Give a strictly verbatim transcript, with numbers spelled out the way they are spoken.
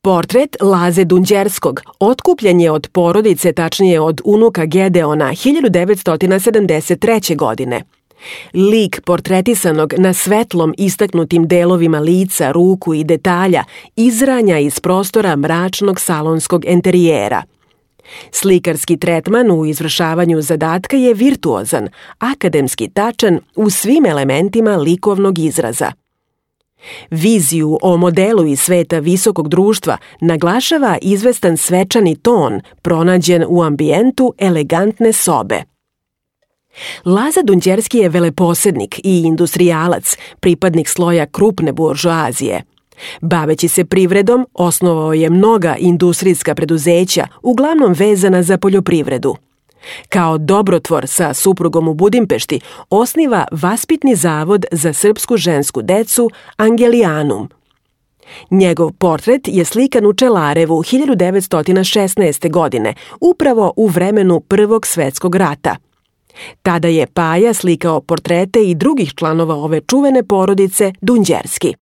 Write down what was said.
Portret Laze Dunđerskog otkupljen je od porodice, tačnije od unuka Gedeona, hiljadu devetsto sedamdeset treće. godine. Lik portretisanog na svetlom istaknutim delovima lica, ruku i detalja izranja iz prostora mračnog salonskog enterijera. Slikarski tretman u izvršavanju zadatka je virtuozan, akademski tačan u svim elementima likovnog izraza. Viziju o modelu iz sveta visokog društva naglašava izvestan svečani ton pronađen u ambijentu elegantne sobe. Laza Dunđerski je veleposednik i industrijalac, pripadnik sloja krupne buržoazije. Baveći se privredom, osnovao je mnoga industrijska preduzeća, uglavnom vezana za poljoprivredu. Kao dobrotvor sa suprugom u Budimpešti osniva vaspitni zavod za srpsku žensku decu Angelijanum. Njegov portret je slikan u Čelarevu hiljadu devetsto šesnaeste. godine, upravo u vremenu Prvog svetskog rata. Tada je Paja slikao portrete i drugih članova ove čuvene porodice Dunđerski.